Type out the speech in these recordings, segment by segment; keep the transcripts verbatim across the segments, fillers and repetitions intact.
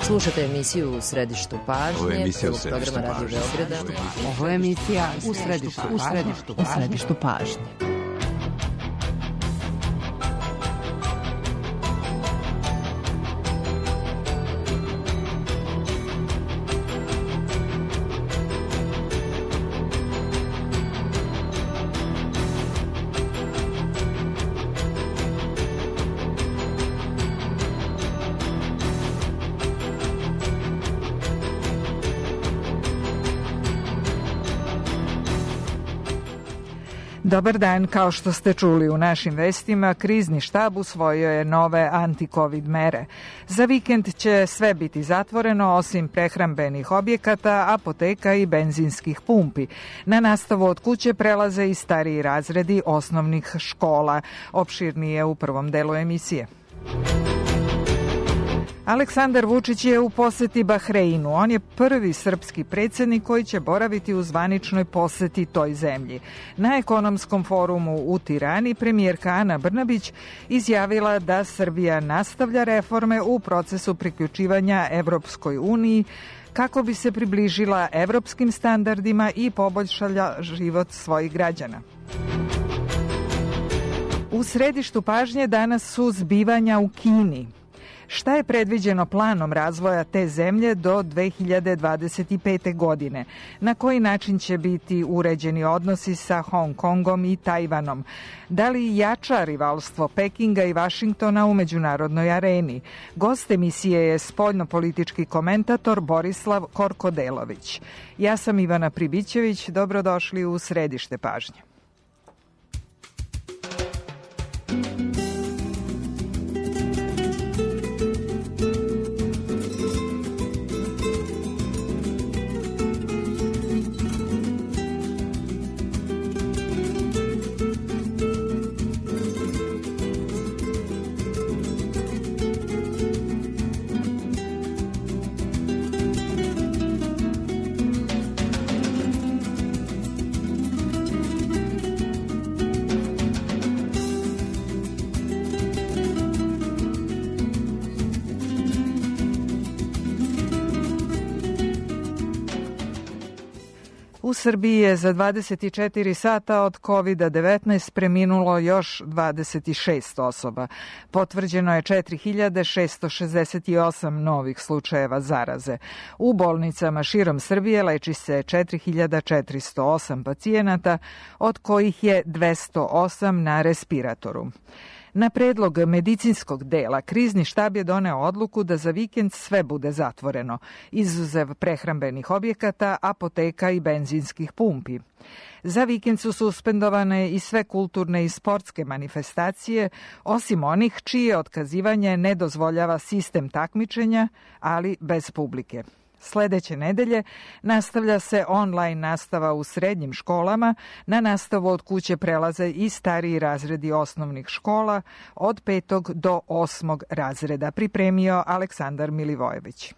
Slušate emisiju U središtu pažnje. Ovo je emisija U središtu programa pažnje. Radio Beograda. Ovo je emisija U središtu pažnje. U središtu pažnje. U središtu pažnje. Dobar dan, kao što ste čuli u našim vestima, krizni štab usvojio je nove anti-covid mere. Za vikend će sve biti zatvoreno osim prehrambenih objekata, apoteka i benzinskih pumpi. Na nastavu od kuće prelaze i stariji razredi osnovnih škola. Opširnije u prvom delu emisije. Aleksandar Vučić je u poseti Bahreinu. On je prvi srpski predsjednik koji će boraviti u zvaničnoj poseti toj zemlji. Na ekonomskom forumu u Tirani premijerka Ana Brnabić izjavila da Srbija nastavlja reforme u procesu priključivanja Evropskoj uniji kako bi se približila evropskim standardima i poboljšala život svojih građana. U središtu pažnje danas su zbivanja u Kini. Šta je predviđeno planom razvoja te zemlje do dve hiljade dvadeset pete. godine? Na koji način će biti uređeni odnosi sa Hong Kongom i Tajvanom? Da li jača rivalstvo Pekinga i Vašingtona u međunarodnoj areni? Gost emisije je spoljnopolitički komentator Borislav Korkodelović. Ja sam Ivana Pribićević, dobrodošli u središte pažnje. U Srbiji je za dvadeset četiri sata od kovid devetnaest preminulo još dvadeset šest osoba. Potvrđeno je četiri hiljade šesto šezdeset osam novih slučajeva zaraze. U bolnicama širom Srbije leči se četiri hiljade četiristo osam pacijenata, od kojih je dvesta osam na respiratoru. Na predlog medicinskog dela, krizni štab je doneo odluku da za vikend sve bude zatvoreno, izuzev prehrambenih objekata, apoteka i benzinskih pumpi. Za vikend su suspendovane i sve kulturne i sportske manifestacije, osim onih čije otkazivanje ne dozvoljava sistem takmičenja, ali bez publike. Sledeće nedelje nastavlja se online nastava u srednjim školama, na nastavu od kuće prelaze i stariji razredi osnovnih škola od petog do osmog razreda, pripremio Aleksandar Milivojević.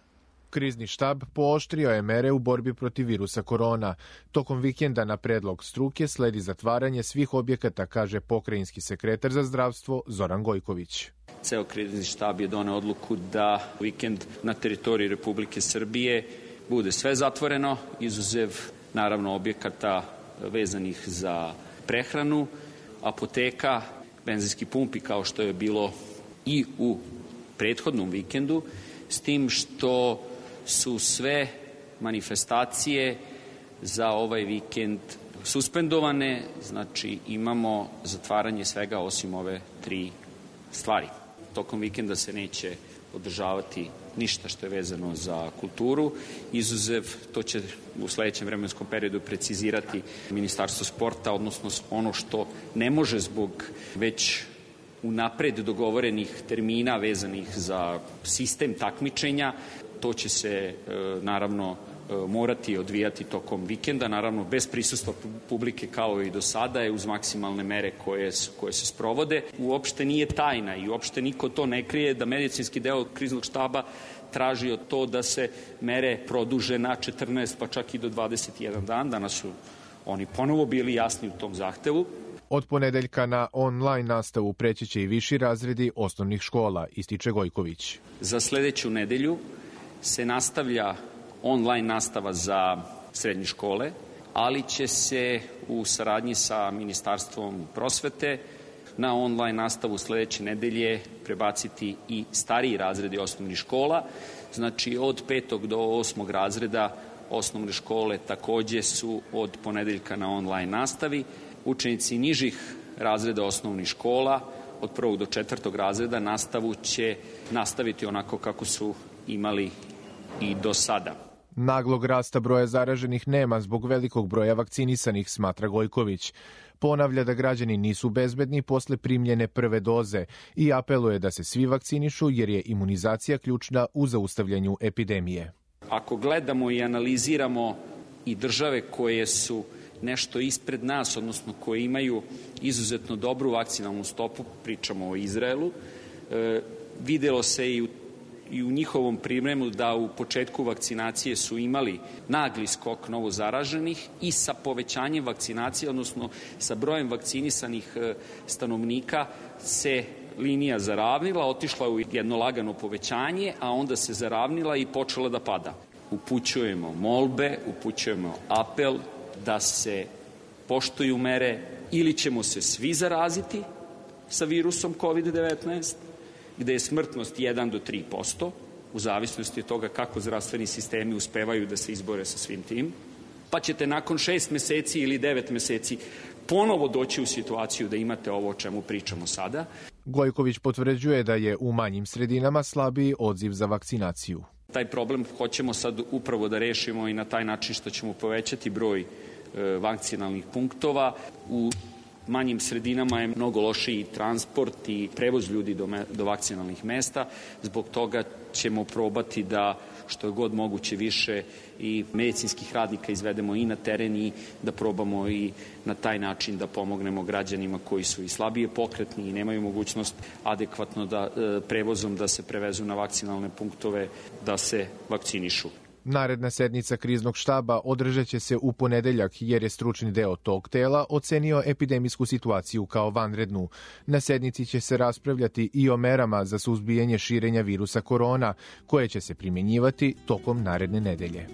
Krizni štab pooštrio je mere u borbi protiv virusa korona. Tokom vikenda na predlog struke sledi zatvaranje svih objekata, kaže pokrajinski sekretar za zdravstvo Zoran Gojković. Ceo krizni štab je doneo odluku da vikend na teritoriji Republike Srbije bude sve zatvoreno, izuzev naravno objekata vezanih za prehranu, apoteka, benzinski pumpi kao što je bilo i u prethodnom vikendu, s tim što su sve manifestacije za ovaj vikend suspendovane, znači imamo zatvaranje svega osim ove tri stvari. Tokom vikenda se neće održavati ništa što je vezano za kulturu, izuzev, to će u sledećem vremenskom periodu precizirati Ministarstvo sporta, odnosno ono što ne može zbog već unapred dogovorenih termina vezanih za sistem takmičenja, to će se naravno morati odvijati tokom vikenda, naravno bez prisustva publike kao i do sada je uz maksimalne mere koje, koje se sprovode. Uopšte nije tajna i uopšte niko to ne krije da medicinski deo kriznog štaba traži od to da se mere produže na četrnaest pa čak i do dvadeset jedan dan. Danas su oni ponovo bili jasni u tom zahtevu. Od ponedeljka na online nastavu preći će i viši razredi osnovnih škola, ističe Gojković. Za sledeću nedelju se nastavlja online nastava za srednje škole, ali će se u saradnji sa Ministarstvom prosvete na online nastavu sledeće nedelje prebaciti i stariji razredi osnovnih škola. Znači od petog do osmog razreda osnovne škole takođe su od ponedeljka na online nastavi. Učenici nižih razreda osnovnih škola od prvog do četvrtog razreda nastavu će nastaviti onako kako su imali i do sada. Naglog rasta broja zaraženih nema zbog velikog broja vakcinisanih, smatra Gojković. Ponavlja da građani nisu bezbedni posle primljene prve doze i apeluje da se svi vakcinišu jer je imunizacija ključna u zaustavljanju epidemije. Ako gledamo i analiziramo i države koje su nešto ispred nas, odnosno koje imaju izuzetno dobru vakcinalnu stopu, pričamo o Izraelu, e, videlo se i u i u njihovom pripremu da u početku vakcinacije su imali nagli skok novo zaraženih i sa povećanjem vakcinacije, odnosno sa brojem vakcinisanih stanovnika se linija zaravnila, otišla u jedno lagano povećanje, a onda se zaravnila i počela da pada. Upućujemo molbe, upućujemo apel da se poštuju mere ili ćemo se svi zaraziti sa virusom kovid devetnaest, gde je smrtnost jedan do tri posto, u zavisnosti od toga kako zdravstveni sistemi uspevaju da se izbore sa svim tim, pa ćete nakon šest meseci ili devet meseci ponovo doći u situaciju da imate ovo o čemu pričamo sada. Gojković potvrđuje da je u manjim sredinama slabiji odziv za vakcinaciju. Taj problem hoćemo sad upravo da rešimo i na taj način što ćemo povećati broj e, vakcinalnih punktova. U manjim sredinama je mnogo lošiji transport i prevoz ljudi do, me, do vakcinalnih mesta. Zbog toga ćemo probati da što je god moguće više i medicinskih radnika izvedemo i na teren i da probamo i na taj način da pomognemo građanima koji su i slabije pokretni i nemaju mogućnost adekvatno da e, prevozom da se prevezu na vakcinalne punktove da se vakcinišu. Naredna sednica kriznog štaba održat će se u ponedeljak jer je stručni deo tog tela ocenio epidemijsku situaciju kao vanrednu. Na sednici će se raspravljati i o merama za suzbijanje širenja virusa korona, koje će se primjenjivati tokom naredne nedelje.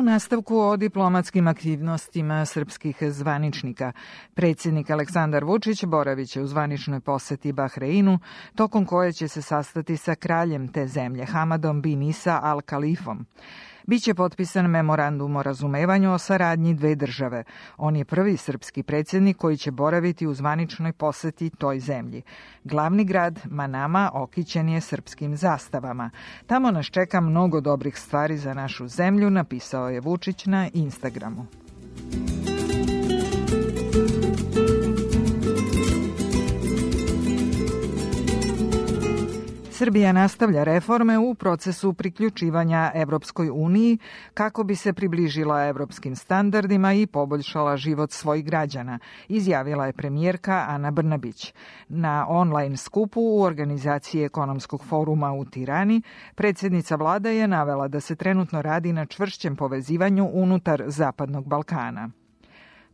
U nastavku o diplomatskim aktivnostima srpskih zvaničnika, predsjednik Aleksandar Vučić boraviće u zvaničnoj poseti Bahreinu, tokom koje će se sastati sa kraljem te zemlje, Hamadom bin Isa Al Khalifom. Biće potpisan memorandum o razumevanju o saradnji dve države. On je prvi srpski predsjednik koji će boraviti u zvaničnoj poseti toj zemlji. Glavni grad Manama okićen je srpskim zastavama. Tamo nas čeka mnogo dobrih stvari za našu zemlju, napisao je Vučić na Instagramu. Srbija nastavlja reforme u procesu priključivanja Evropskoj uniji kako bi se približila evropskim standardima i poboljšala život svojih građana, izjavila je premijerka Ana Brnabić. Na online skupu u organizaciji Ekonomskog foruma u Tirani, predsjednica vlade je navela da se trenutno radi na čvršćem povezivanju unutar Zapadnog Balkana.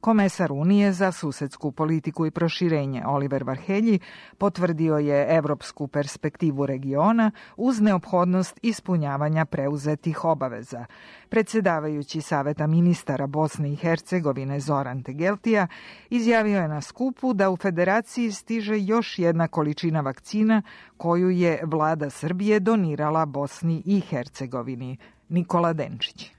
Komesar Unije za susedsku politiku i proširenje Oliver Varhelji potvrdio je evropsku perspektivu regiona uz neophodnost ispunjavanja preuzetih obaveza. Predsjedavajući Saveta ministara Bosne i Hercegovine Zoran Tegeltija izjavio je na skupu da u federaciji stiže još jedna količina vakcina koju je vlada Srbije donirala Bosni i Hercegovini. Nikola Denčić.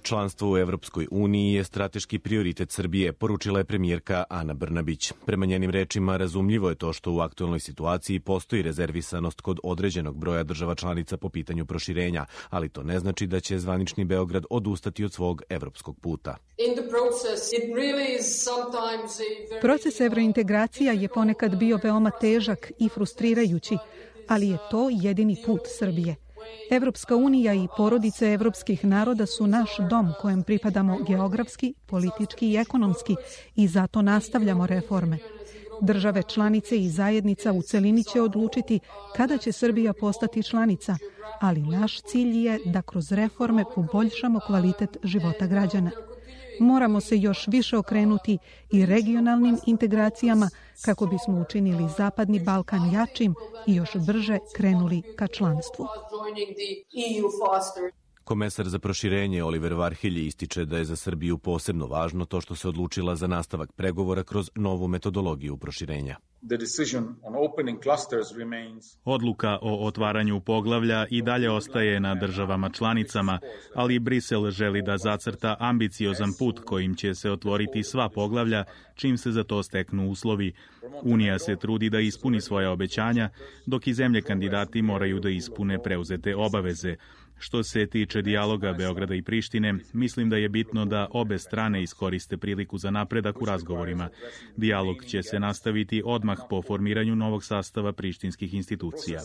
Članstvo u Evropskoj uniji je strateški prioritet Srbije, poručila je premijerka Ana Brnabić. Prema njenim rečima, razumljivo je to što u aktuelnoj situaciji postoji rezervisanost kod određenog broja država članica po pitanju proširenja, ali to ne znači da će zvanični Beograd odustati od svog evropskog puta. Proces evrointegracija je ponekad bio veoma težak i frustrirajući, ali je to jedini put Srbije. Evropska unija i porodice evropskih naroda su naš dom kojem pripadamo geografski, politički i ekonomski i zato nastavljamo reforme. Države članice i zajednica u celini će odlučiti kada će Srbija postati članica, ali naš cilj je da kroz reforme poboljšamo kvalitet života građana. moramo se još više okrenuti i regionalnim integracijama kako bismo učinili Zapadni Balkan jačim i još brže krenuli ka članstvu. Komesar za proširenje Oliver Varhelji ističe da je za Srbiju posebno važno to što se odlučila za nastavak pregovora kroz novu metodologiju proširenja. Odluka o otvaranju poglavlja i dalje ostaje na državama članicama, ali Brisel želi da zacrta ambiciozan put kojim će se otvoriti sva poglavlja čim se za to steknu uslovi. Unija se trudi da ispuni svoja obećanja, dok i zemlje kandidati moraju da ispune preuzete obaveze. Što se tiče dijaloga Beograda i Prištine, mislim da je bitno da obe strane iskoriste priliku za napredak u razgovorima. Dijalog će se nastaviti odmah po formiranju novog sastava prištinskih institucija.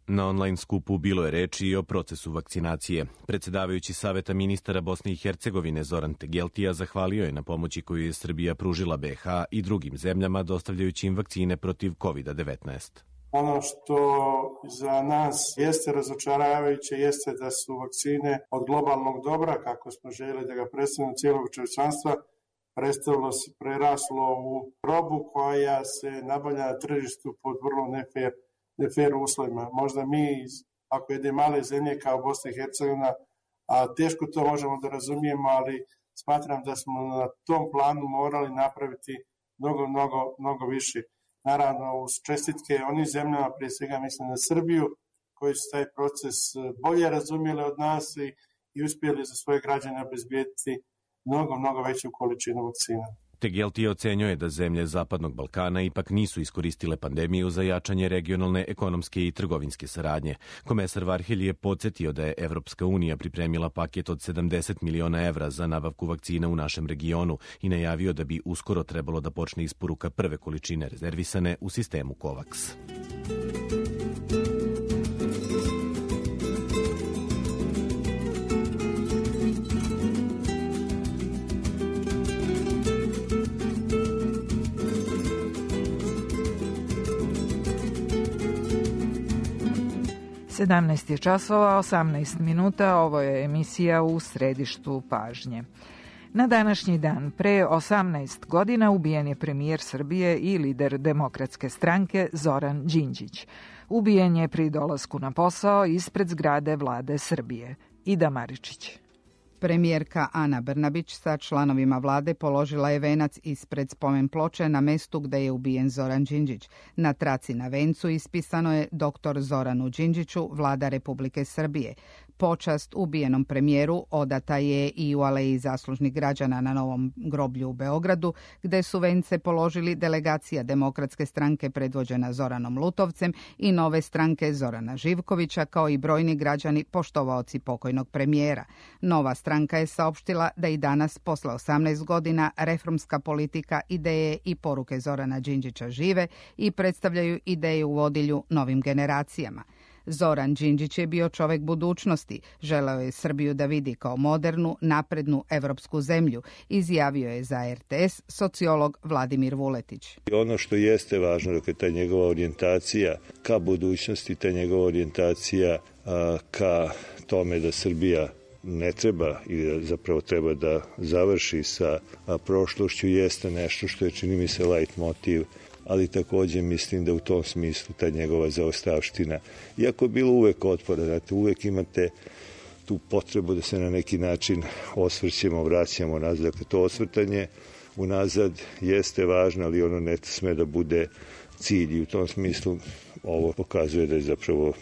Na online skupu bilo je reči i o procesu vakcinacije. Predsedavajući Saveta ministara Bosne i Hercegovine Zoran Tegeltija zahvalio je na pomoći koju je Srbija pružila be ha i drugim zemljama dostavljajući im vakcine protiv kovid devetnaest. Ono što za nas jeste razočaravajuće jeste da su vakcine od globalnog dobra, kako smo željeli da ga predstavimo cijelog čovječanstva, predstavilo se preraslo u robu koja se nabavlja na tržištu pod vrlo nefer, nefer uslovima. Možda mi, ako jedne male zemlje kao Bosna i Hercegovina, a teško to možemo da razumijemo, ali smatram da smo na tom planu morali napraviti mnogo, mnogo, mnogo više. Naravno, uz čestitke onim zemljama, prije svega mislim na Srbiju, koji su taj proces bolje razumjeli od nas i, i uspjeli za svoje građane obezbijediti mnogo, mnogo veću količinu vakcina. Tegeltija ocenjuje da zemlje Zapadnog Balkana ipak nisu iskoristile pandemiju za jačanje regionalne, ekonomske i trgovinske saradnje. Komesar Varhelji je podsjetio da je Evropska unija pripremila paket od sedamdeset miliona evra za nabavku vakcina u našem regionu i najavio da bi uskoro trebalo da počne isporuka prve količine rezervisane u sistemu COVAX. sedamnaest je časova, osamnaest minuta, ovo je emisija U središtu pažnje. Na današnji dan, pre osamnaest godina, ubijen je premijer Srbije i lider Demokratske stranke Zoran Đinđić. Ubijen je pri dolasku na posao ispred zgrade vlade Srbije. Ida Maričić. Premijerka Ana Brnabić sa članovima vlade položila je venac ispred spomen ploče na mestu gde je ubijen Zoran Đinđić. Na traci na vencu ispisano je doktor Zoranu Đinđiću, vlada Republike Srbije. Počast ubijenom premijeru odata je i u Aleji zaslužnih građana na Novom groblju u Beogradu, gde su vence položili delegacija Demokratske stranke predvođena Zoranom Lutovcem i Nove stranke Zorana Živkovića, kao i brojni građani poštovaoci pokojnog premijera. Nova stranka je saopštila da i danas, posle osamnaest godina, reformska politika, ideje i poruke Zorana Đinđića žive i predstavljaju ideje u vodilju novim generacijama. Zoran Đinđić je bio čovek budućnosti, želeo je Srbiju da vidi kao modernu, naprednu evropsku zemlju, izjavio je za er te es sociolog Vladimir Vuletić. Ono što jeste važno je ta njegova orijentacija ka budućnosti, ta njegova orijentacija a, ka tome da Srbija ne treba ili zapravo treba da završi sa a, prošlošću jeste nešto što je, čini mi se, light motiv, ali također mislim da u tom smislu ta njegova zaostavština, iako je bilo uvek otpora, znate, uvek imate tu potrebu da se na neki način osvrćemo, vraćamo nazad. Dakle, to osvrtanje unazad jeste važno, ali ono ne sme da bude cilj i u tom smislu ovo pokazuje da je zapravo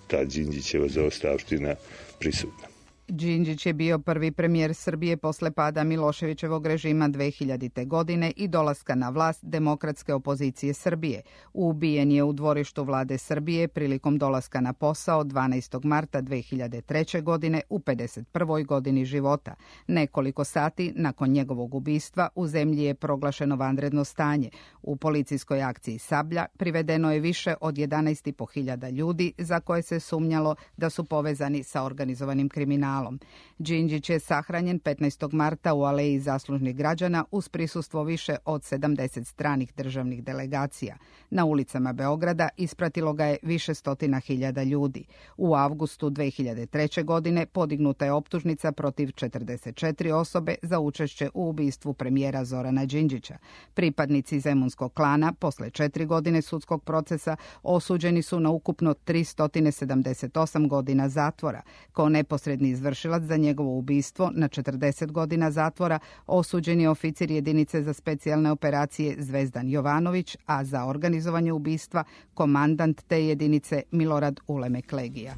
ta Đinđićeva zaostavština prisutna. Đinđić je bio prvi premijer Srbije posle pada Miloševićevog režima dve hiljadite. godine i dolaska na vlast demokratske opozicije Srbije. Ubijen je u dvorištu vlade Srbije prilikom dolaska na posao dvanaestog marta dve hiljade treće. godine u pedeset prvoj godini života. Nekoliko sati nakon njegovog ubistva u zemlji je proglašeno vanredno stanje. U policijskoj akciji Sablja privedeno je više od jedanaest i po hiljada ljudi za koje se sumnjalo da su povezani sa organizovanim kriminalom. malom. Đinđić je sahranjen petnaestog marta u Aleji zaslužnih građana uz prisustvo više od sedamdeset stranih državnih delegacija. Na ulicama Beograda ispratilo ga je više stotina hiljada ljudi. U avgustu dve hiljade treće. godine podignuta je optužnica protiv četrdeset četiri osobe za učešće u ubistvu premijera Zorana Đinđića. Pripadnici zemunskog klana posle četiri godine sudskog procesa osuđeni su na ukupno tristo sedamdeset osam godina zatvora. Kao neposredni izvršilac za njegovo ubistvo na četrdeset godina zatvora osuđen je oficir jedinice za specijalne operacije Zvezdan Jovanović, a za organizovanje ubistva komandant te jedinice Milorad Ulemek Legija.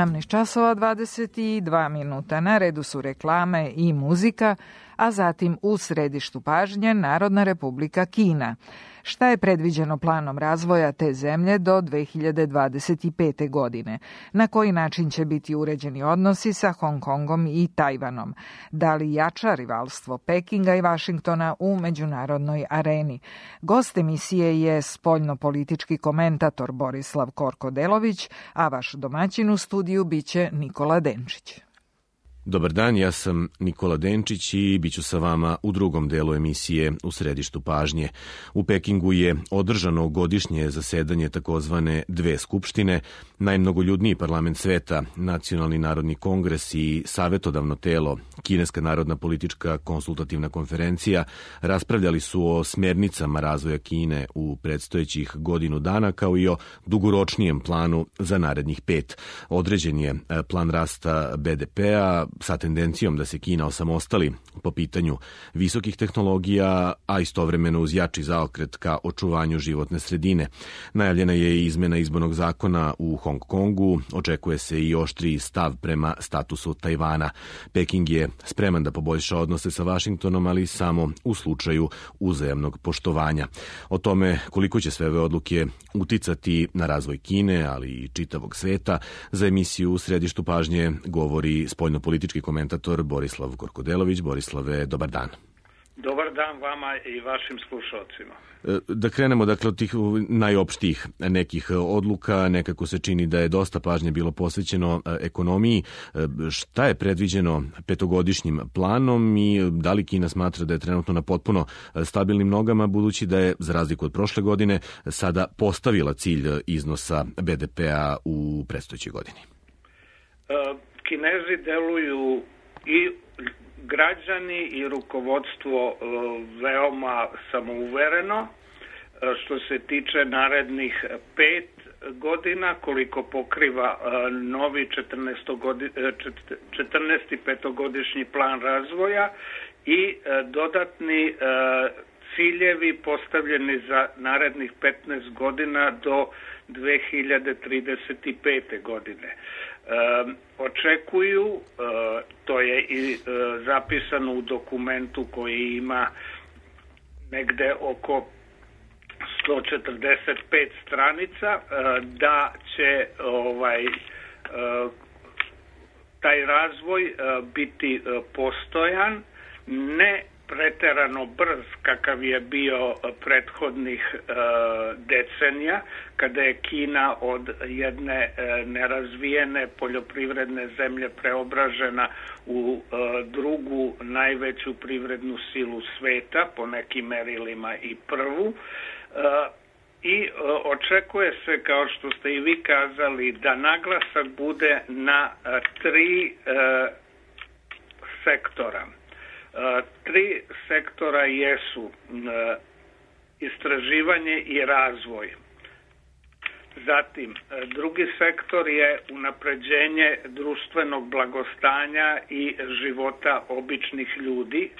sedamnaest časova dvadeset dva minuta. Na redu su reklame i muzika, a zatim u središtu pažnje Narodna Republika Kina. Šta je predviđeno planom razvoja te zemlje do dve hiljade dvadeset pete. godine? Na koji način će biti uređeni odnosi sa Hong Kongom i Tajvanom? Da li jača rivalstvo Pekinga i Vašingtona u međunarodnoj areni? Gost emisije je spoljno-politički komentator Borislav Korko-Delović, a vaš domaćin u studiju biće Nikola Denčić. Dobar dan, ja sam Nikola Denčić i bit ću sa vama u drugom delu emisije U središtu pažnje. U Pekingu je održano godišnje zasedanje takozvane dve skupštine, najmnogoljudniji parlament sveta, Nacionalni narodni kongres i savetodavno telo, Kineska narodna politička konsultativna konferencija, raspravljali su o smernicama razvoja Kine u predstojećih godinu dana, kao i o dugoročnijem planu za narednih pet. Određen je plan rasta be de pea, sa tendencijom da se Kina osamostali po pitanju visokih tehnologija, a istovremeno uz jači zaokret ka očuvanju životne sredine. Najavljena je i izmena izbornog zakona u Hong Kongu, očekuje se i oštriji stav prema statusu Tajvana. Peking je spreman da poboljša odnose sa Vašingtonom, ali samo u slučaju uzajamnog poštovanja. O tome koliko će sve ove odluke uticati na razvoj Kine, ali i čitavog sveta, za emisiju U središtu pažnje govori spoljno-politički komentator Borislav Korko-Delović. Borislave, dobar dan. Dobar dan vama i vašim slušalcima. Da krenemo dakle od tih najopštijih nekih odluka, nekako se čini da je dosta pažnje bilo posvećeno ekonomiji. Šta je predviđeno petogodišnjim planom i da li Kina smatra da je trenutno na potpuno stabilnim nogama, budući da je, za razliku od prošle godine, sada postavila cilj iznosa be de pea u predstojećoj godini? Kinezi deluju i građani i rukovodstvo veoma samouvereno što se tiče narednih pet godina, koliko pokriva novi četrnaesti petogodišnji plan razvoja i dodatni ciljevi postavljeni za narednih petnaest godina do dve hiljade trideset pete. godine. E, očekuju, e, to je i e, zapisano u dokumentu koji ima negde oko sto četrdeset pet stranica, e, da će ovaj e, taj razvoj e, biti e, postojan, ne preterano brz kakav je bio prethodnih e, decenija, kada je Kina od jedne e, nerazvijene poljoprivredne zemlje preobražena u e, drugu najveću privrednu silu sveta, po nekim merilima i prvu. E, I e, očekuje se, kao što ste i vi kazali, da naglasak bude na e, tri e, sektora. Uh, tri sektora jesu uh, istraživanje i razvoj. Zatim, uh, drugi sektor je unapređenje društvenog blagostanja i života običnih ljudi.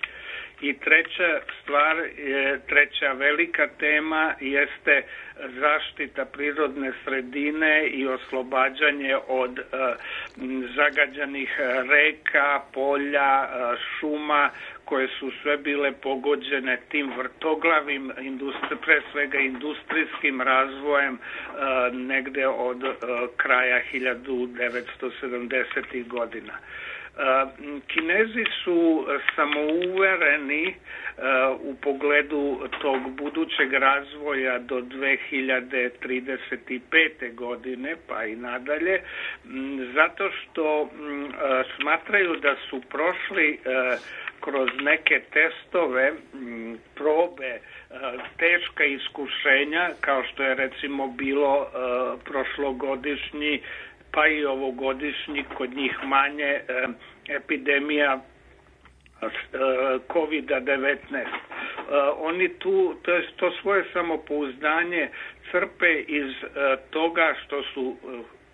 I treća stvar, je, treća velika tema jeste zaštita prirodne sredine i oslobađanje od uh, zagađenih reka, polja, uh, šuma, koje su sve bile pogođene tim vrtoglavim, industri, pre svega industrijskim razvojem uh, negde od uh, kraja hiljadu devetsto sedamdesetih godina. Kinezi su samouvereni u pogledu tog budućeg razvoja do dve hiljade trideset pete. godine, pa i nadalje, zato što smatraju da su prošli kroz neke testove, probe, teška iskušenja, kao što je recimo bilo prošlogodišnji pa i ovogodišnji, kod njih manje, epidemija kovid devetnaest. Oni tu, to, je, to svoje samopouzdanje crpe iz toga što su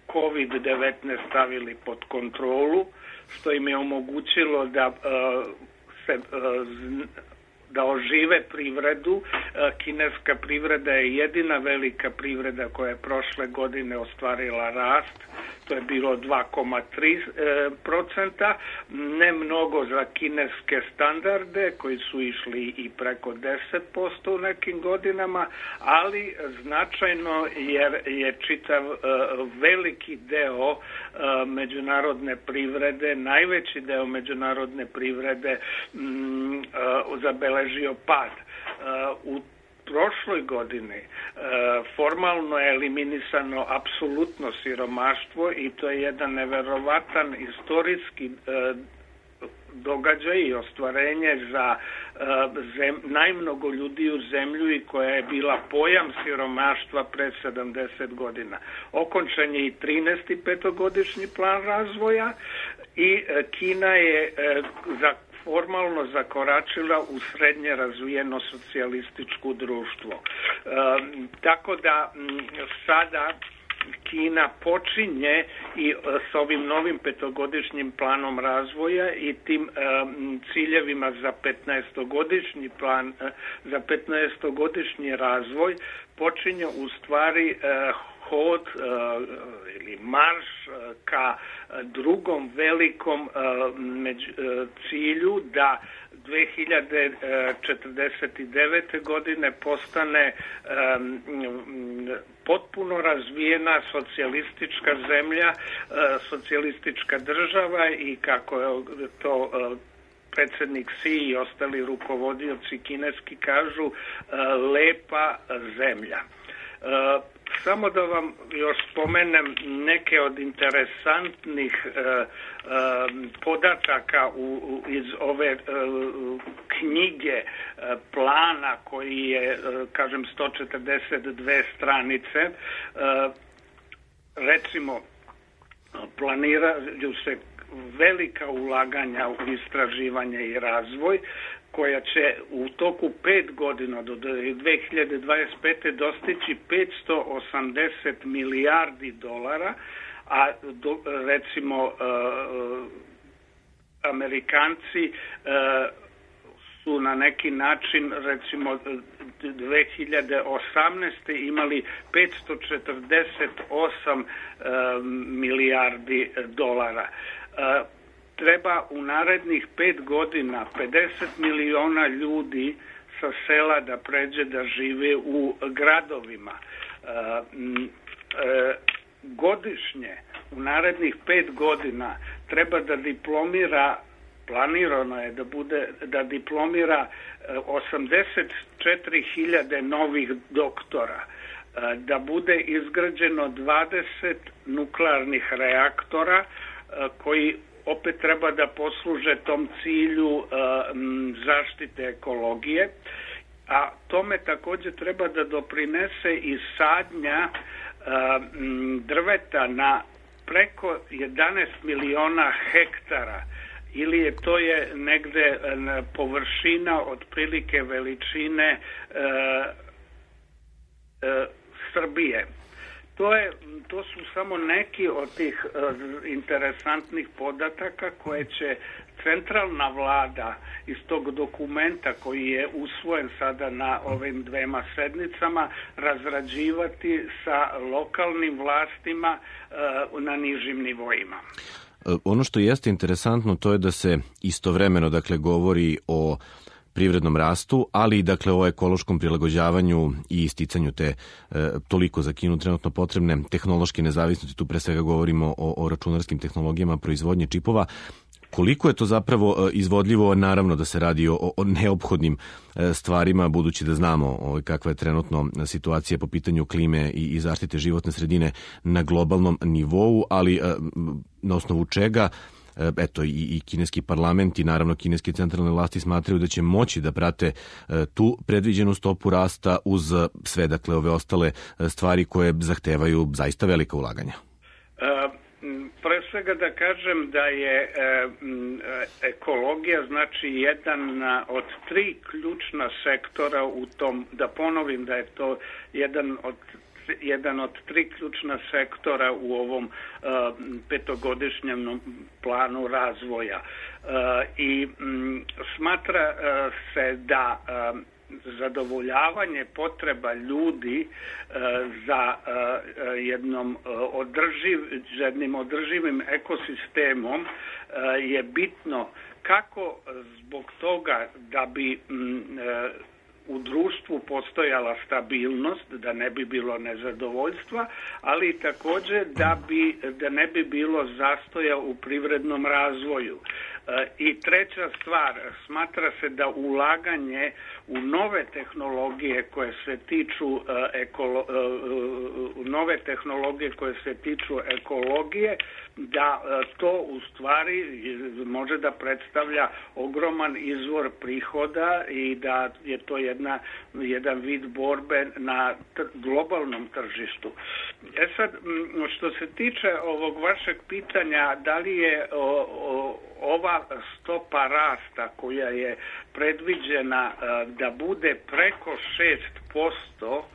kovid devetnaest stavili pod kontrolu, što im je omogućilo da se da ožive privredu. Kineska privreda je jedina velika privreda koja je prošle godine ostvarila rast. To je bilo dva zarez tri procenta, ne mnogo za kineske standarde koji su išli i preko deset posto u nekim godinama, ali značajno jer je čitav uh, veliki deo uh, međunarodne privrede, najveći deo međunarodne privrede um, uh, zabeležio pad. Uh, u prošloj godini e, formalno je eliminisano apsolutno siromaštvo i to je jedan neverovatan istorijski e, događaj i ostvarenje za e, zem, najmnogo ljudi u zemlju i koja je bila pojam siromaštva pre sedamdeset godina. Okončan je i trinaesti petogodišnji plan razvoja i e, Kina je e, za formalno zakoračila u srednje razvijeno socijalističko društvo. E, tako da m, sada Kina počinje i s ovim novim petogodišnjim planom razvoja i tim e, ciljevima za petnaestogodišnji plan, e, za petnaestogodišnji razvoj počinje u stvari e, hod e, ili marš e, ka drugom velikom e, među, e, cilju da dve hiljade četrdeset devete. godine postane e, potpuno razvijena socijalistička zemlja, e, socijalistička država i kako je to e, predsjednik Xi i ostali rukovodioci kineski kažu, e, lepa zemlja. E, Samo da vam još spomenem neke od interesantnih e, e, podataka u, u, iz ove e, knjige e, plana koji je, e, kažem, sto četrdeset dve stranice. E, recimo, planiraju se velika ulaganja u istraživanje i razvoj, koja će u toku pet godina do dve hiljade dvadeset pete. dostići petsto osamdeset milijardi dolara, a do, recimo uh, Amerikanci uh, su na neki način recimo dve hiljade osamnaeste. imali petsto četrdeset osam uh, milijardi dolara. Uh, Treba u narednih pet godina pedeset miliona ljudi sa sela da pređe da žive u gradovima. E, e, godišnje, u narednih pet godina, treba da diplomira, planirano je da bude, da diplomira osamdeset četiri hiljade novih doktora, da bude izgrađeno dvadeset nuklearnih reaktora koji opet treba da posluže tom cilju uh, zaštite ekologije, a tome također treba da doprinese i sadnja uh, drveta na preko jedanaest miliona hektara, ili je to je negde uh, površina otprilike veličine uh, uh, Srbije. to je, to su samo neki od tih interesantnih podataka koje će centralna vlada iz tog dokumenta koji je usvojen sada na ovim dvema sednicama razrađivati sa lokalnim vlastima na nižim nivoima. Ono što jeste interesantno to je da se istovremeno dakle govori o privrednom rastu, ali i dakle o ekološkom prilagođavanju i isticanju te e, toliko za Kinu trenutno potrebne tehnološke nezavisnosti. Tu pre svega govorimo o, o računarskim tehnologijama proizvodnje čipova. Koliko je to zapravo izvodljivo, naravno da se radi o, o neophodnim stvarima, budući da znamo o, kakva je trenutno situacija po pitanju klime i, i zaštite životne sredine na globalnom nivou, ali na osnovu čega eto i, i kineski parlament i naravno kineske centralne vlasti smatraju da će moći da prate tu predviđenu stopu rasta uz sve dakle ove ostale stvari koje zahtevaju zaista velika ulaganja. Uh... Pre svega da kažem da je e, ekologija znači jedan od tri ključna sektora u tom, da ponovim da je to jedan od jedan od tri ključna sektora u ovom e, petogodišnjem planu razvoja. E, I m, smatra e, se da e, zadovoljavanje potreba ljudi e, za e, jednom održiv, jednim održivim ekosistemom e, je bitno kako zbog toga da bi m, e, u društvu postojala stabilnost, da ne bi bilo nezadovoljstva, ali i također da, bi, da ne bi bilo zastoja u privrednom razvoju. I treća stvar, smatra se da ulaganje u nove tehnologije koje se tiču ekolo, nove tehnologije koje se tiču ekologije, da to u stvari može da predstavlja ogroman izvor prihoda i da je to jedna, jedan vid borbe na globalnom tržištu. E sad, što se tiče ovog vašeg pitanja, da li je o, o, ova stopa rasta koja je predviđena da bude preko šest posto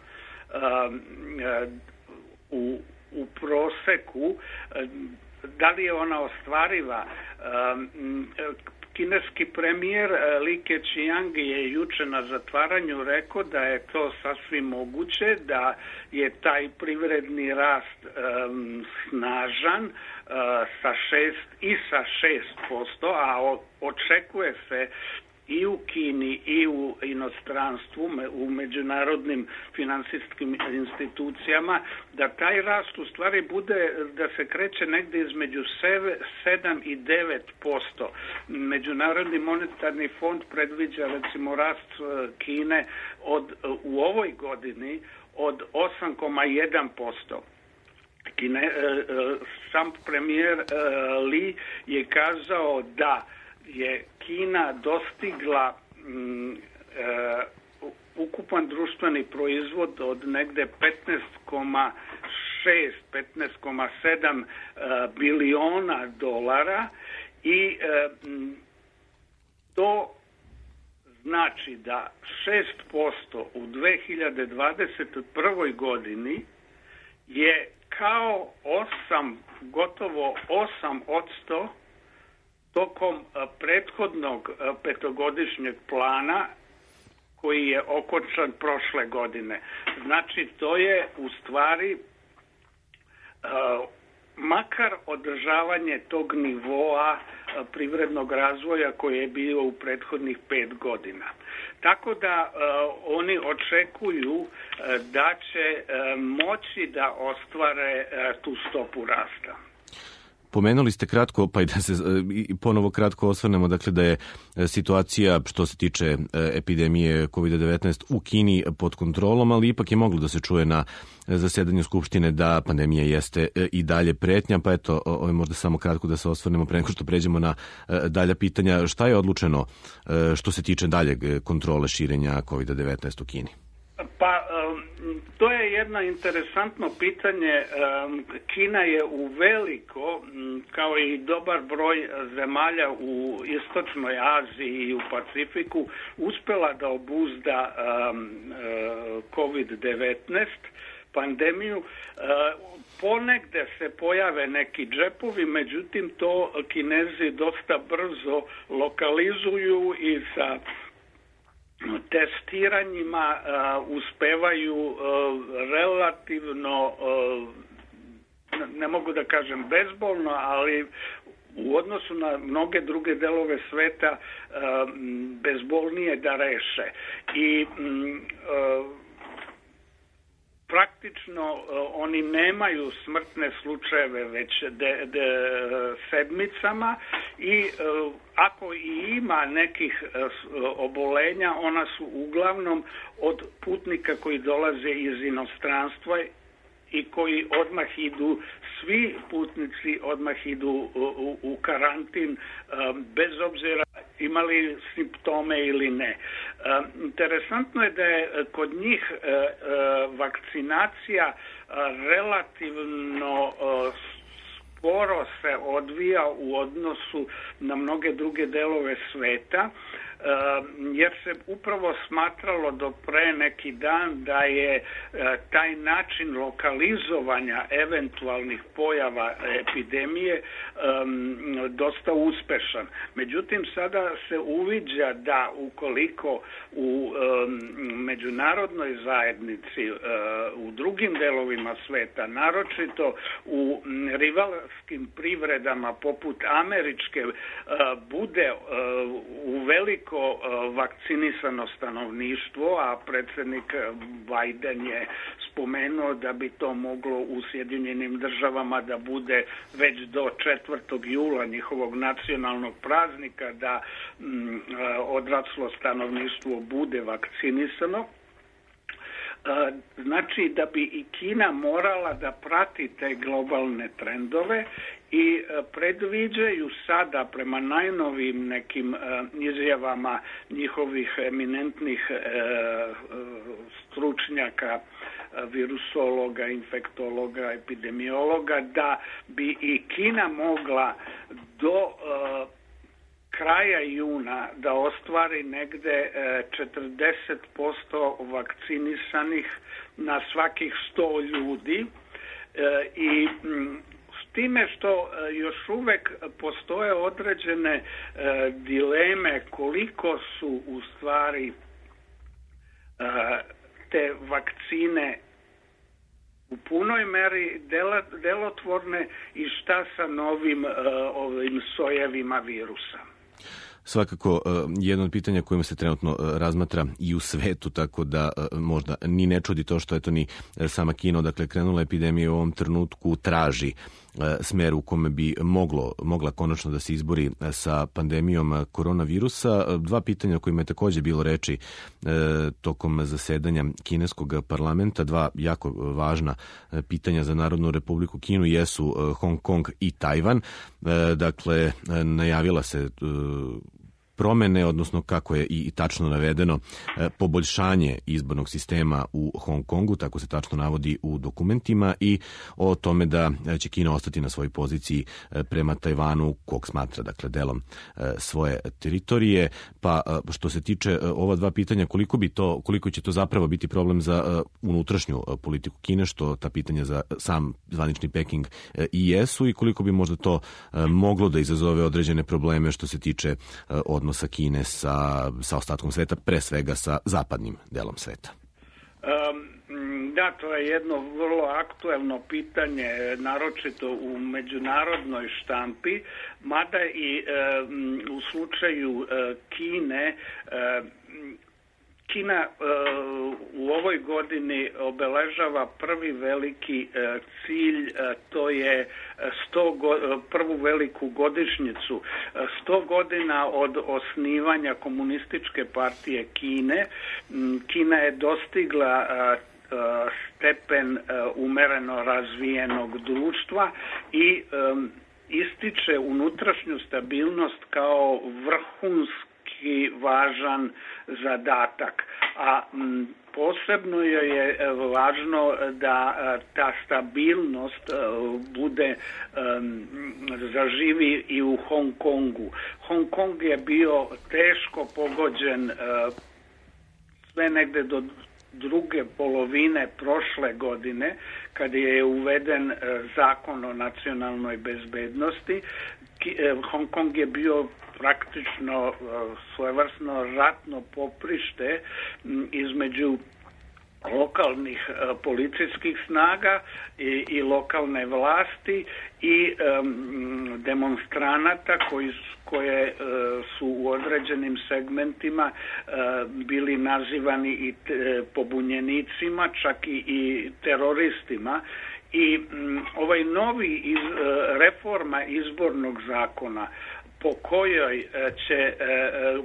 u, u proseku, da li je ona ostvariva? Kineski premijer Li Keqiang je juče na zatvaranju rekao da je to sasvim moguće, da je taj privredni rast um, snažan uh, sa šest i sa šest posto, a o, očekuje se i u Kini i u inostranstvu, u međunarodnim finansijskim institucijama, da taj rast u stvari bude, da se kreće negdje između sedam i devet posto. Međunarodni monetarni fond predviđa recimo rast Kine od, u ovoj godini od osam zarez jedan posto. Kine, sam premijer Li je kazao da je Kina dostigla mm, e, ukupan društveni proizvod od negde petnaest zarez šest, petnaest zarez sedam e, biliona dolara i e, to znači da šest posto u dve hiljade dvadeset prvoj godini je kao osam, gotovo osam odsto tokom prethodnog petogodišnjeg plana koji je okončan prošle godine. Znači, to je u stvari uh, makar održavanje tog nivoa uh, privrednog razvoja koji je bio u prethodnih pet godina. Tako da uh, oni očekuju uh, da će uh, moći da ostvare uh, tu stopu rasta. Pomenuli ste kratko, pa i da se ponovo kratko osvrnemo, dakle da je situacija što se tiče epidemije kovid devetnaest u Kini pod kontrolom, ali ipak je moglo da se čuje na zasedanju Skupštine da pandemija jeste i dalje pretnja, pa eto, ovo je možda samo kratko da se osvrnemo pre nego što pređemo na dalja pitanja. Šta je odlučeno što se tiče daljeg kontrole širenja kovid devetnaest u Kini? Pa, to je jedno interesantno pitanje. Kina je u veliko, kao i dobar broj zemalja u Istočnoj Aziji i u Pacifiku, uspela da obuzda kovid devetnaest. pandemiju. Ponegde se pojave neki džepovi, međutim to Kinezi dosta brzo lokalizuju i sa testiranjima uspevaju relativno, ne mogu da kažem bezbolno, ali u odnosu na mnoge druge delove sveta bezbolnije da reše. I praktično oni nemaju smrtne slučajeve već de, de, sedmicama i ako i ima nekih obolenja, ona su uglavnom od putnika koji dolaze iz inostranstva i koji odmah idu, svi putnici odmah idu u, u, u karantin bez obzira imali simptome ili ne. Interesantno je da je kod njih vakcinacija relativno sporo se odvija u odnosu na mnoge druge delove sveta, jer se upravo smatralo do pre neki dan da je taj način lokalizovanja eventualnih pojava epidemije dosta uspešan. Međutim, sada se uviđa da ukoliko u međunarodnoj zajednici, u drugim delovima sveta, naročito u rivalskim privredama poput američke, bude u veliko vakcinisano stanovništvo, a predsjednik Biden je spomenuo da bi to moglo u Sjedinjenim državama da bude već do četvrtog jula njihovog nacionalnog praznika, da m, odraslo stanovništvo bude vakcinisano. Znači da bi i Kina morala da prati te globalne trendove i predviđaju sada prema najnovijim nekim izjavama njihovih eminentnih stručnjaka, virusologa, infektologa, epidemiologa, da bi i Kina mogla do kraja juna da ostvari negde četrdeset posto vakcinisanih na svakih sto ljudi i s time što još uvek postoje određene dileme koliko su u stvari te vakcine u punoj meri delotvorne i šta sa novim ovim sojevima virusa. Svakako, jedno od pitanja kojima se trenutno razmatra i u svetu, tako da možda ni ne čudi to što eto ni sama Kina, dakle krenula epidemija u ovom trenutku, traži smer u kome bi moglo, mogla konačno da se izbori sa pandemijom koronavirusa. Dva pitanja o kojima je također bilo reči e, tokom zasedanja kineskog parlamenta, dva jako važna pitanja za Narodnu republiku Kinu jesu Hong Kong i Tajvan. E, dakle, najavila se e, promene, odnosno kako je i tačno navedeno, poboljšanje izbornog sistema u Hong Kongu, tako se tačno navodi u dokumentima, i o tome da će Kina ostati na svojoj poziciji prema Tajvanu, kog smatra dakle delom svoje teritorije. Pa što se tiče ova dva pitanja, koliko bi to, koliko će to zapravo biti problem za unutrašnju politiku Kine, što ta pitanja za sam zvanični Peking i jesu, i koliko bi možda to moglo da izazove određene probleme što se tiče od odnosa Kine sa, sa ostatkom sveta, pre svega sa zapadnim delom sveta? Um, da, to je jedno vrlo aktuelno pitanje, naročito u međunarodnoj štampi, mada i um, u slučaju uh, Kine, uh, Kina uh, u ovoj godini obeležava prvi veliki uh, cilj, uh, to je sto go, uh, prvu veliku godišnjicu. Uh, sto godina od osnivanja Komunističke partije Kine. Um, Kina je dostigla uh, uh, stepen uh, umereno razvijenog društva i um, ističe unutrašnju stabilnost kao vrhunski i važan zadatak, a m, posebno joj je važno da ta stabilnost bude um, zaživi i u Hong Kongu. Hong Kong je bio teško pogođen uh, sve negde do druge polovine prošle godine, kad je uveden zakon o nacionalnoj bezbednosti. Hong Kong je bio praktično svojevrsno ratno poprište između lokalnih uh, policijskih snaga i, i lokalne vlasti i um, demonstranata koji su, koje uh, su u određenim segmentima uh, bili nazivani i te, pobunjenicima, čak i, i teroristima. I um, ovaj novi iz, uh, reforma izbornog zakona po kojoj će,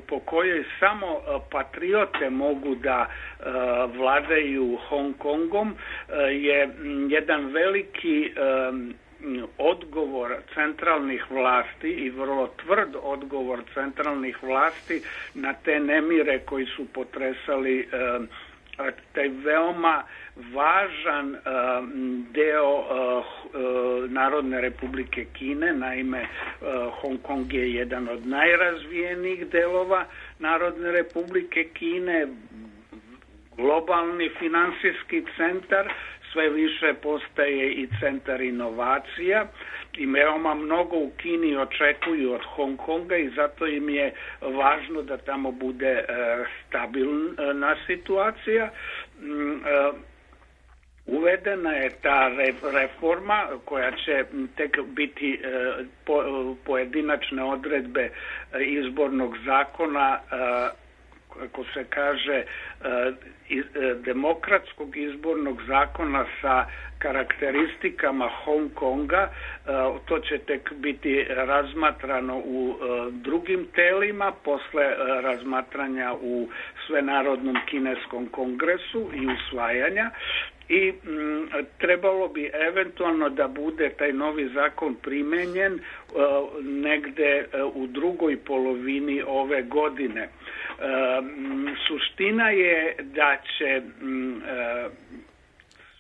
po kojoj samo patriote mogu da vladaju Hong Kongom je jedan veliki odgovor centralnih vlasti i vrlo tvrd odgovor centralnih vlasti na te nemire koji su potresali taj veoma važan uh, deo uh, uh, Narodne Republike Kine. Naime, uh, Hong Kong je jedan od najrazvijenijih delova Narodne Republike Kine, globalni finansijski centar, sve više postaje i centar inovacija i veoma mnogo u Kini očekuju od Hong Konga i zato im je važno da tamo bude uh, stabilna situacija. Uh, Uvedena je ta reforma koja će tek biti uh, po, pojedinačne odredbe izbornog zakona, uh, kako se kaže, demokratskog izbornog zakona sa karakteristikama Hong Konga. To će tek biti razmatrano u drugim telima posle razmatranja u Svenarodnom kineskom kongresu i usvajanja. I m, trebalo bi eventualno da bude taj novi zakon primenjen uh, negde uh, u drugoj polovini ove godine. Uh, m, suština je da će m, uh,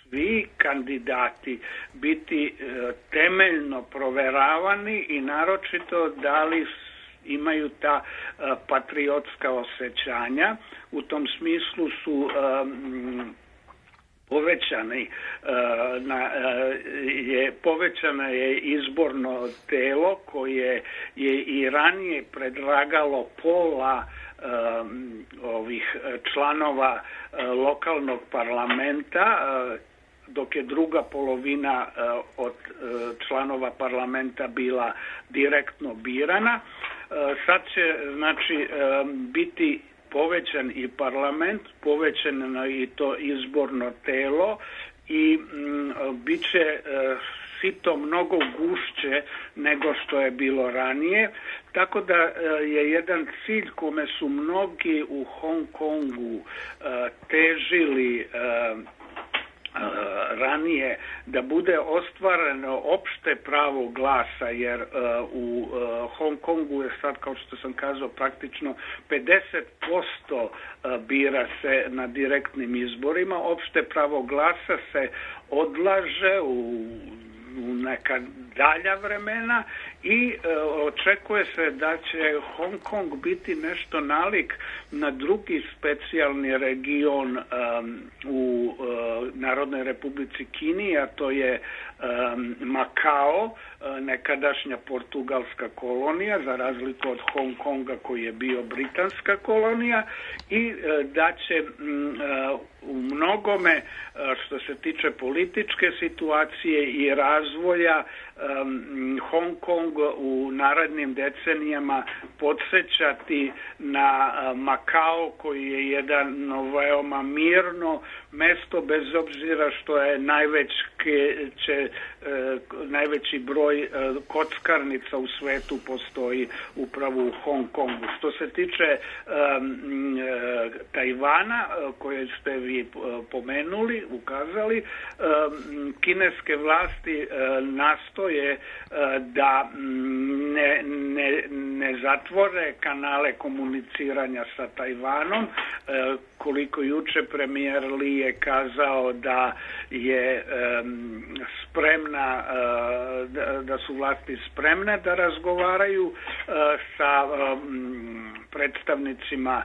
svi kandidati biti uh, temeljno proveravani i naročito da li imaju ta uh, patriotska osjećanja. U tom smislu su um, povećani na, je povećano je izborno telo koje je i ranije predlagalo pola um, ovih članova uh, lokalnog parlamenta, uh, dok je druga polovina uh, od uh, članova parlamenta bila direktno birana. Uh, sad će znači um, biti povećan i parlament, povećano i to izborno telo i m, bit će e, sito mnogo gušće nego što je bilo ranije, tako da e, je jedan cilj kome su mnogi u Hong Kongu e, težili e, ranije, da bude ostvareno opšte pravo glasa, jer uh, u uh, Hong Kongu je sad, kao što sam kazao, praktično pedeset posto uh, bira se na direktnim izborima. Opšte pravo glasa se odlaže u u neka dalja vremena i e, očekuje se da će Hong Kong biti nešto nalik na drugi specijalni region um, u uh, Narodnoj Republici Kini, a to je um, Makao, uh, nekadašnja portugalska kolonija, za razliku od Hong Konga koji je bio britanska kolonija, i uh, da će um, uh, u mnogome uh, što se tiče političke situacije i razvoja um, Hong Kong u narednim decenijama podsjećati na uh, Makao, koji je jedan veoma mirno mesto, bez obzira što je najveći, će, e, najveći broj e, kockarnica u svetu postoji upravo u Hong Kongu. Što se tiče e, e, Tajvana, koje ste vi e, pomenuli, ukazali, e, kineske vlasti e, nastoje e, da ne, ne, ne zatvore kanale komuniciranja sa Tajvanom, e, koliko juče premijer Li je kazao da je um, spremna, uh, da, da su vlasti spremne da razgovaraju uh, sa um, predstavnicima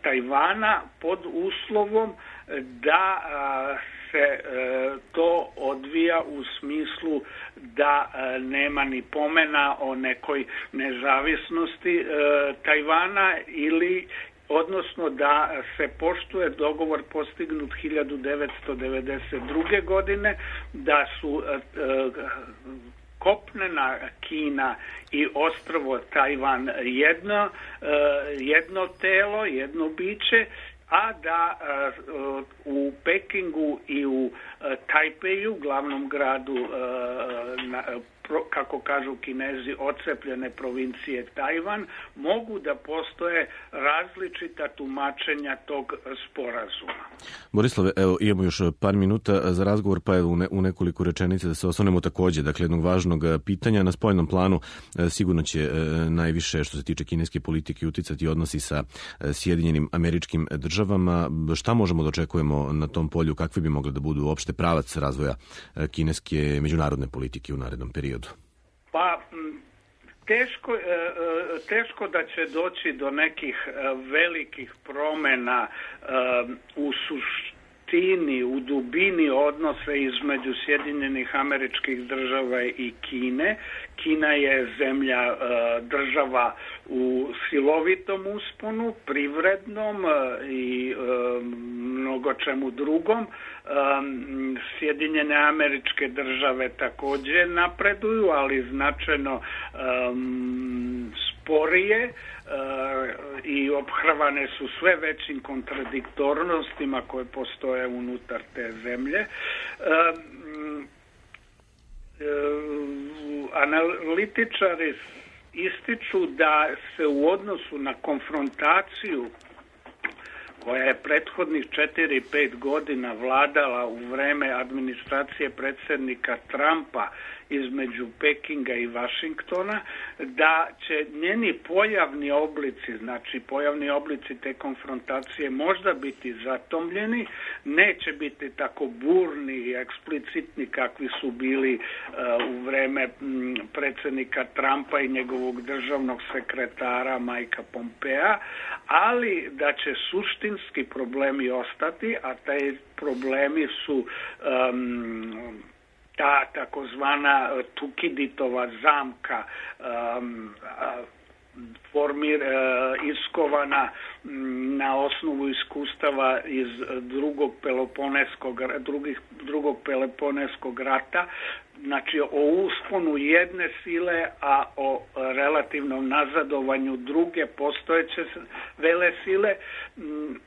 Tajvana pod uslovom da se to odvija u smislu da nema ni pomena o nekoj nezavisnosti Tajvana ili odnosno da se poštuje dogovor postignut hiljadu devetsto devedeset druge. godine, da su kopnena Kina i ostrvo Tajvan jedno, jedno telo, jedno biće, a da u Pekingu i u Tajpeju, glavnom gradu, kako kažu Kinezi, odcepljene provincije Tajvan, mogu da postoje različita tumačenja tog sporazuma. Borislave, evo, imamo još par minuta za razgovor, pa evo u nekoliko rečenica da se osvrnemo takođe, dakle, jednog važnog pitanja. Na spoljnom planu sigurno će najviše, što se tiče kineske politike, uticati odnosi sa Sjedinjenim Američkim Državama. Šta možemo da očekujemo na tom polju? Kakvi bi mogli da budu uopšte pravac razvoja kineske međunarodne politike u narednom periodu? Pa, teško, teško da će doći do nekih velikih promjena u suštini, u dubini odnose između Sjedinjenih Američkih Država i Kine. Kina je zemlja, država u silovitom usponu, privrednom i mnogo čemu drugom. Sjedinjene Američke Države također napreduju, ali značajno sporije i ophrvane su sve većim kontradiktornostima koje postoje unutar te zemlje. Analitičari ističu da se u odnosu na konfrontaciju koja je prethodnih četiri pet godina vladala u vreme administracije predsjednika Trumpa između Pekinga i Vašingtona, da će njeni pojavni oblici, znači pojavni oblici te konfrontacije možda biti zatomljeni, neće biti tako burni i eksplicitni kakvi su bili uh, u vreme m, predsjednika Trumpa i njegovog državnog sekretara Mikea Pompea, ali da će suštinski problemi ostati, a taj problemi su um, ta takozvana Tukiditova zamka um, formir, uh, iskovana um, na osnovu iskustava iz drugog Peloponeskog, drugih, drugog Peloponeskog rata, znači o usponu jedne sile, a o relativnom nazadovanju druge postojeće vele sile. Um,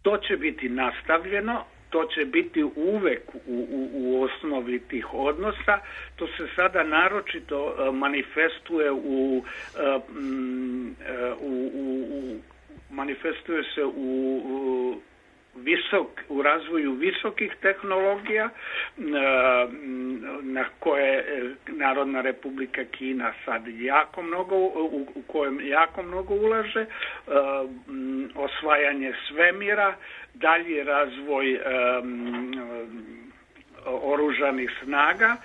to će biti nastavljeno. To će biti uvek u, u, u osnovi tih odnosa. To se sada naročito uh, manifestuje u, uh, u, u, u manifestuje se u, u visok, u razvoju visokih tehnologija uh, na koje Narodna Republika Kina sad jako mnogo, u, u kojem jako mnogo ulaže, uh, osvajanje svemira, dalji razvoj um, oružanih snaga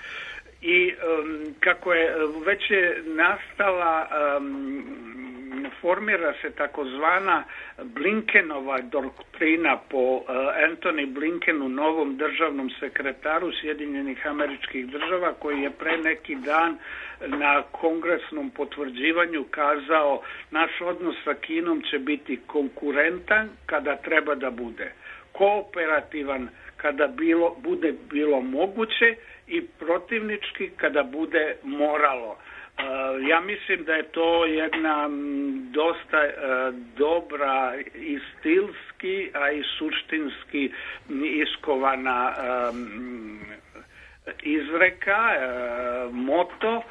i um, kako je već je nastala, um, formira se takozvana Blinkenova doktrina po uh, Antony Blinkenu, novom državnom sekretaru Sjedinjenih Američkih Država, koji je pre neki dan na kongresnom potvrđivanju kazao: naš odnos sa Kinom će biti konkurentan kada treba da bude, kooperativan kada bilo, bude bilo moguće i protivnički kada bude moralo. Uh, ja mislim da je to jedna m, dosta uh, dobra i stilski, a i suštinski iskovana um, izreka, uh, moto uh,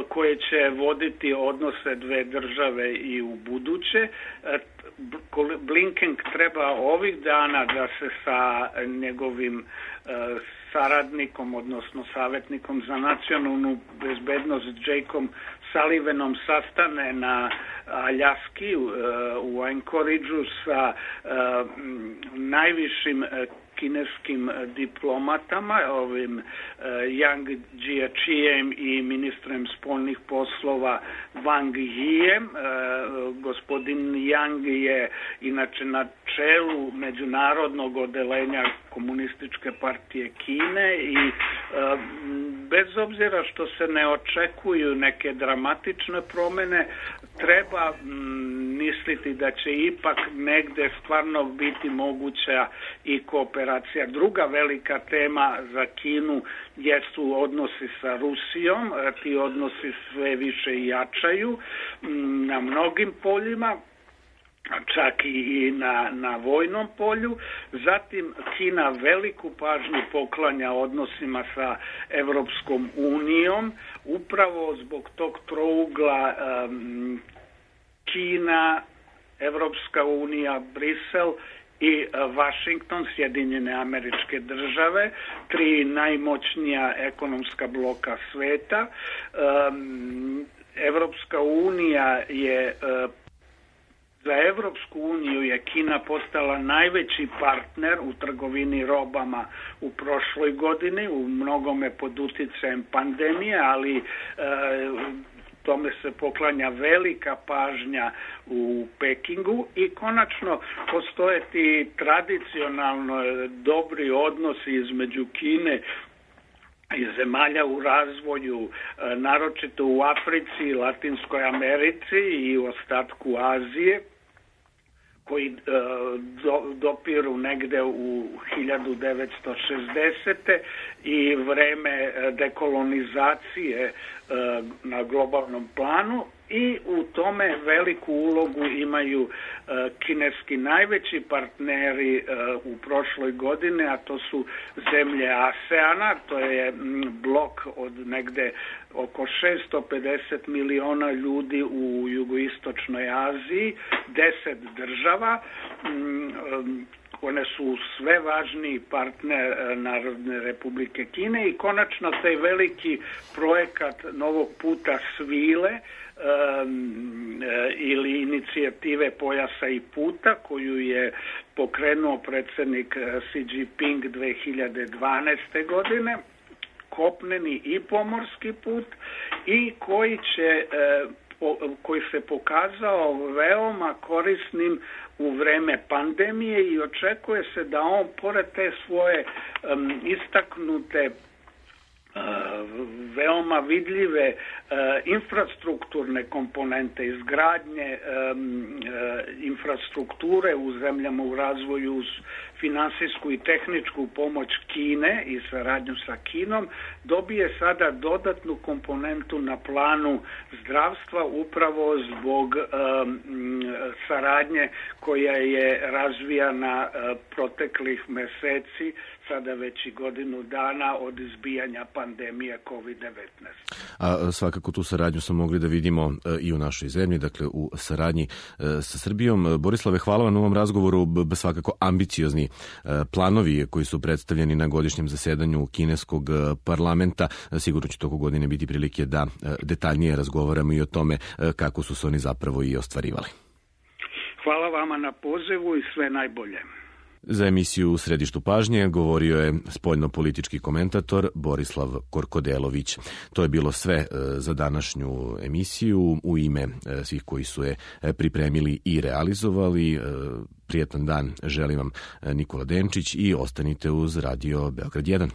koje će voditi odnose dve države i u buduće. Uh, Blinken treba ovih dana da se sa njegovim uh, saradnikom, odnosno savjetnikom za nacionalnu bezbednost Jakeom Sullivanom sastane na Aljaski u, u Anchorageu sa uh, najvišim kineskim diplomatama, ovim Yang Jiechijem i ministrem spoljnih poslova Wang Yijem. Gospodin Yang je inače na čelu međunarodnog odelenja Komunističke partije Kine i bez obzira što se ne očekuju neke dramatične promjene, treba misliti da će ipak negde stvarno biti moguća i kooperacija. Druga velika tema za Kinu jesu odnosi sa Rusijom. Ti odnosi sve više jačaju na mnogim poljima, čak i na, na vojnom polju. Zatim Kina veliku pažnju poklanja odnosima sa Evropskom unijom, upravo zbog tog trougla um, Kina, Evropska unija, Brisel i Washington, Sjedinjene Američke Države, tri najmoćnija ekonomska bloka sveta. Um, Evropska unija je uh, Za Evropsku uniju je Kina postala najveći partner u trgovini robama u prošloj godini, u mnogome pod uticajem pandemije, ali e, tome se poklanja velika pažnja u Pekingu i konačno postoje ti tradicionalno dobri odnosi između Kine i zemalja u razvoju, naročito u Africi, Latinskoj Americi i u ostatku Azije, koji e, do, dopiru negde u hiljadu devetsto šezdesete i vreme dekolonizacije e, na globalnom planu, i u tome veliku ulogu imaju e, kineski najveći partneri e, u prošloj godini, a to su zemlje ASEANA, to je m, blok od negde oko šesto pedeset miliona ljudi u jugoistočnoj Aziji, deset država. M, One su sve važniji partner Narodne Republike Kine i konačno taj veliki projekat novog puta svile um, ili inicijative pojasa i puta koju je pokrenuo predsjednik Xi Jinping dve hiljade dvanaeste. godine, kopneni i pomorski put, i koji će koji se pokazao veoma korisnim u vreme pandemije i očekuje se da on, pored te svoje um, istaknute uh, veoma vidljive uh, infrastrukturne komponente, izgradnje um, uh, infrastrukture u zemljama u razvoju uz finansijsku i tehničku pomoć Kine i saradnju sa Kinom, dobije sada dodatnu komponentu na planu zdravstva upravo zbog um, saradnje koja je razvijana uh, proteklih meseci, sada već i godinu dana od izbijanja pandemije kovid devetnaest. A svakako tu saradnju smo mogli da vidimo i u našoj zemlji, dakle u saradnji sa Srbijom. Borislave, hvala vam na ovom razgovoru. Svakako ambiciozni planovi koji su predstavljeni na godišnjem zasedanju kineskog parlamenta. Sigurno će toko godine biti prilike da detaljnije razgovaramo i o tome kako su se oni zapravo i ostvarivali. Hvala vama na pozivu i sve najbolje. Za emisiju U središtu pažnje govorio je spoljno-politički komentator Borislav Korkodelović. To je bilo sve za današnju emisiju. U ime svih koji su je pripremili i realizovali, prijetan dan želim vam Nikola Denčić i ostanite uz Radio Beograd jedan.